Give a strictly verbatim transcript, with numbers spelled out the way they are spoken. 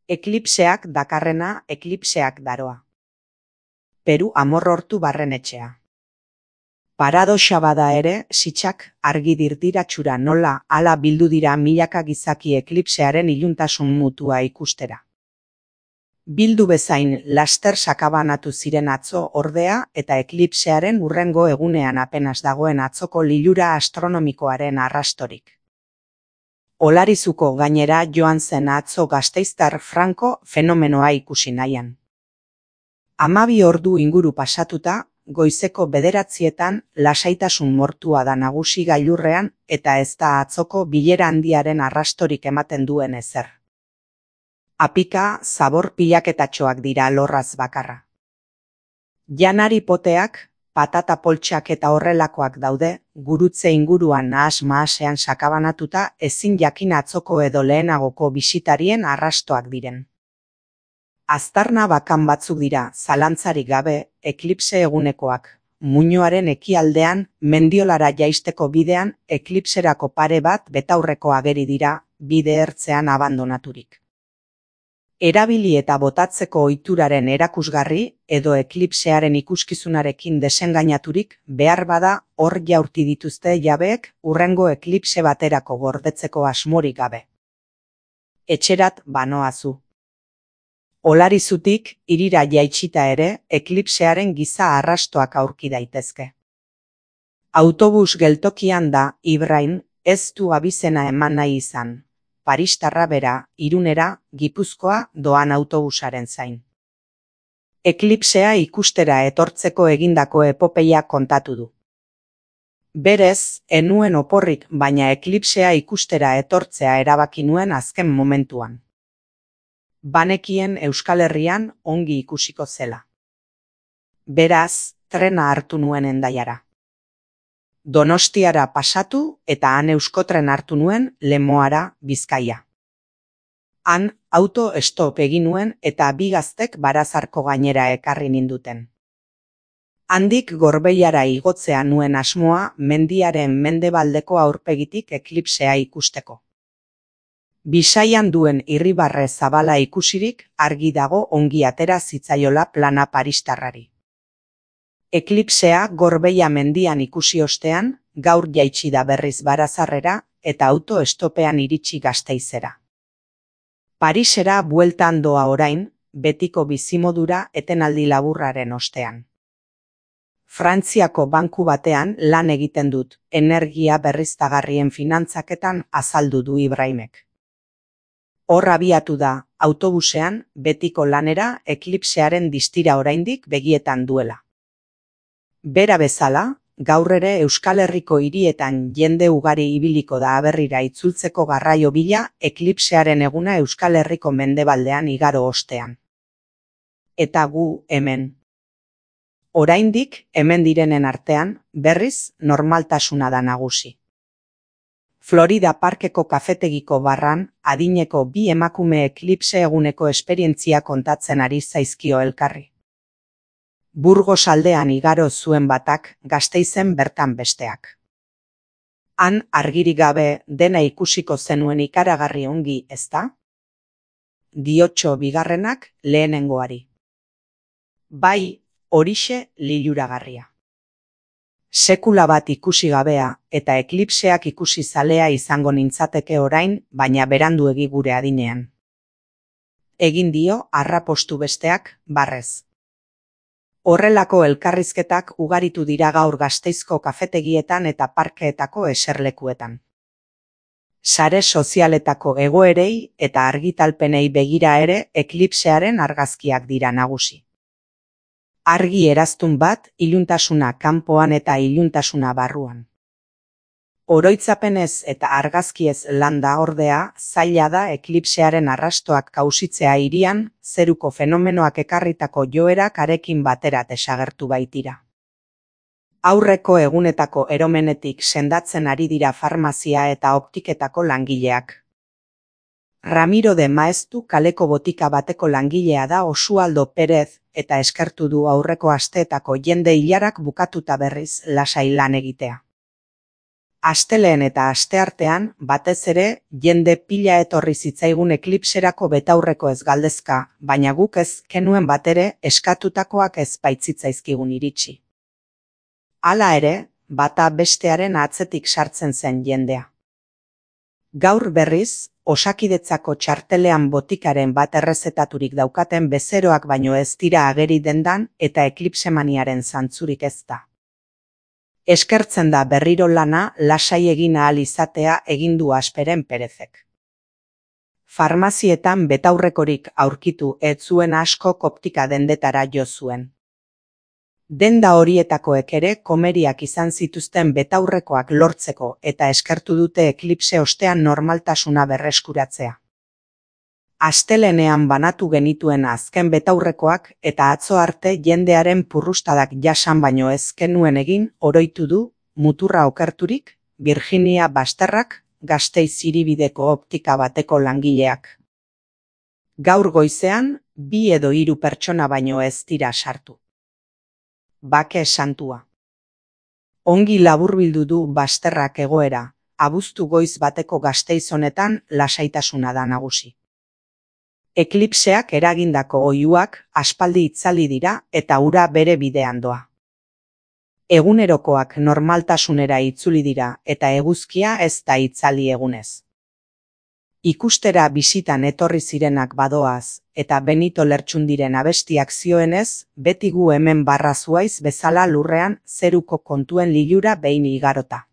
Eklipseak dakarrena, eklipseak daroa. Peru amorrortu barrenetxea. Paradoxa bada ere, sitxak argi dirdiratxura nola hala bildu dira milaka gizaki eklipsearen iluntasun mutua ikustera. Bildu bezain laster sakabanatu ziren atzo ordea eta eklipsearen hurrengo egunean apenas dagoen atzoko lilura astronomikoaren arrastorik. Olarizuko gainera joan zen atzo gasteiztar Franco fenomenoa ikusi nahian. Hamabi ordu inguru pasatuta, goizeko bederatzietan lasaitasun mortua da nagusi gailurrean eta ez da atzoko bilera handiaren arrastorik ematen duen ezer. Apika, zabor pilaketatxoak dira lorraz bakarra. Janari poteak, patata poltsak eta horrelakoak daude, gurutze inguruan nahas-mahasean sakabanatuta ezin jakin atzoko edo lehenagoko bisitarien arrastoak diren. Aztarna bakan batzuk dira, zalantzarik gabe, eklipse egunekoak. Muinoaren ekialdean, Mendiolara jaisteko bidean, eklipserako pare bat betaurreko ageri dira, bide ertzean abandonaturik. Erabili eta botatzeko ohituraren erakusgarri edo eklipsearen ikuskizunarekin desengainaturik behar bada hor jaurti dituzte jabeek hurrengo eklipse baterako gordetzeko asmorik gabe. Etxerat banoazu. Olarizutik hirira jaitsita ere eklipsearen giza arrastoak aurki daitezke. Autobus geltokian da Ibrain ez du abizena eman nahi izan. Paristarra bera, Irunera, Gipuzkoa doan autobusaren zain. Eklipsea ikustera etortzeko egindako epopeia kontatu du. Berez, enuen oporrik baina eklipsea ikustera etortzea erabaki nuen azken momentuan. Banekien Euskal Herrian ongi ikusiko zela. Beraz, trena hartu nuen Hendaiara. Donostiara pasatu eta han euskotren hartu nuen Lemoara, Bizkaia. Han auto stop egin nuen eta bi gaztek Barazarko gainera ekarri ninduten. Handik Gorbeiara igotzea nuen asmoa mendiaren mendebaldeko aurpegitik eklipsea ikusteko. Bisaian duen irribarre zabala ikusirik argi dago ongi atera zitzaiola plana paristarrari. Eklipsea Gorbeia mendian ikusi ostean, gaur jaitsi da berriz Barazarrera eta auto estopean iritsi Gasteizera. Parisera bueltan doa orain, betiko bizimodura etenaldi laburraren ostean. Frantziako banku batean lan egiten dut, energia berriztagarrien finantzaketan azaldu du Ibraimek. Hor abiatu da, autobusean, betiko lanera eklipsearen distira oraindik begietan duela. Bera bezala, gaur ere Euskal Herriko hirietan jende ugari ibiliko da aberrira itzultzeko garraio bila eklipsearen eguna Euskal Herriko mendebaldean igaro ostean. Eta gu hemen. Oraindik hemen direnen artean, berriz normaltasuna da nagusi. Florida Parkeko kafetegiko barran, adineko bi emakume eklipse eguneko esperientzia kontatzen ari zaizkio elkarri. Burgos aldean igaro zuen batak, Gasteizen bertan besteak. Han argirik gabe dena ikusiko zenuen ikaragarri ongi, ezta? Diotxo bigarrenak lehenengoari. Bai, horixe liluragarria. Sekula bat ikusi gabea eta eklipseak ikusi zalea izango nintzateke orain, baina beranduegi gure adinean. Egin dio arrapostu besteak barrez. Horrelako elkarrizketak ugaritu dira gaur Gasteizko kafetegietan eta parkeetako eserlekuetan. Sare sozialetako egoerei eta argitalpenei begira ere eklipsearen argazkiak dira nagusi. Argi eraztun bat, iluntasuna kanpoan eta iluntasuna barruan. Oroitzapenez eta argazkiez landa ordea, zaila da eklipsearen arrastoak kausitzea hirian, zeruko fenomenoak ekarritako joerak arekin batera desagertu baitira. Aurreko egunetako eromenetik sendatzen ari dira farmazia eta optiketako langileak. Ramiro de Maeztu kaleko botika bateko langilea da Osualdo Perez eta eskertu du aurreko asteetako jende ilarak bukatuta berriz lasai lan egitea. Asteleen eta asteartean, batez ere, jende pila etorri zitzaigun eklipserako betaurreko ez galdezka, baina guk ez kenuen batere eskatutakoak ez baitzitzaizkigun iritsi. Hala ere, bata bestearen atzetik sartzen zen jendea. Gaur berriz, Osakidetzako txartelean botikaren bat errezetaturik daukaten bezeroak baino ez dira ageri dendan eta eklipsemaniaren zantzurik ez da. Eskertzen da berriro lana lasai egin ahal izatea egin du Asperen Perezek. Farmazietan betaurrekorik aurkitu ez zuen askok optika dendetara jo zuen. Denda horietakoek ere komeriak izan zituzten betaurrekoak lortzeko eta eskertu dute eklipse ostean normaltasuna berreskuratzea. Astelenean banatu genituen azken betaurrekoak eta atzo arte jendearen purrustadak jasan baino ez genuen egin oroitu du, muturra okerturik, Virginia Basterrak, Gasteiz hiribideko optika bateko langileak. Gaur goizean, bi edo hiru pertsona baino ez dira sartu. Bake santua. Ongi laburbildu du Basterrak egoera, abuztu goiz bateko Gasteiz honetan lasaitasuna da nagusi. Eklipseak eragindako oihuak aspaldi itzali dira eta ura bere bidean doa. Egunerokoak normaltasunera itzuli dira eta eguzkia ez da itzali egunez. Ikustera bisitan etorri zirenak badoaz eta Benito Lertxundiren abestiak zioenez, beti gu hemen barra zuaiz bezala lurrean zeruko kontuen lilura behin igarota.